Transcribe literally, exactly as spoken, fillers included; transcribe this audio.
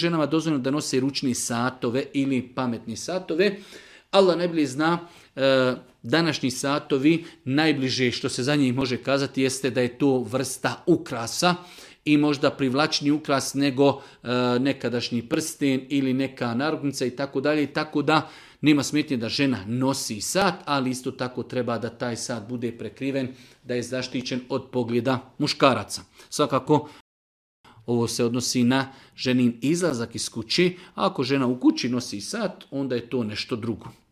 ženama dozvoljeno da nose ručni satove ili pametni satove. Allah najbolje zna, e, današnji satovi, najbliže što se za njih može kazati jeste da je to vrsta ukrasa i možda privlačniji ukras nego e, nekadašnji prsten ili neka narukvica i tako dalje. Tako da nema smetnje da žena nosi sat, ali isto tako treba da taj sat bude prekriven, da je zaštićen od pogleda muškaraca. Svakako, ovo se odnosi na ženin izlazak iz kući, a ako žena u kući nosi sat, onda je to nešto drugo.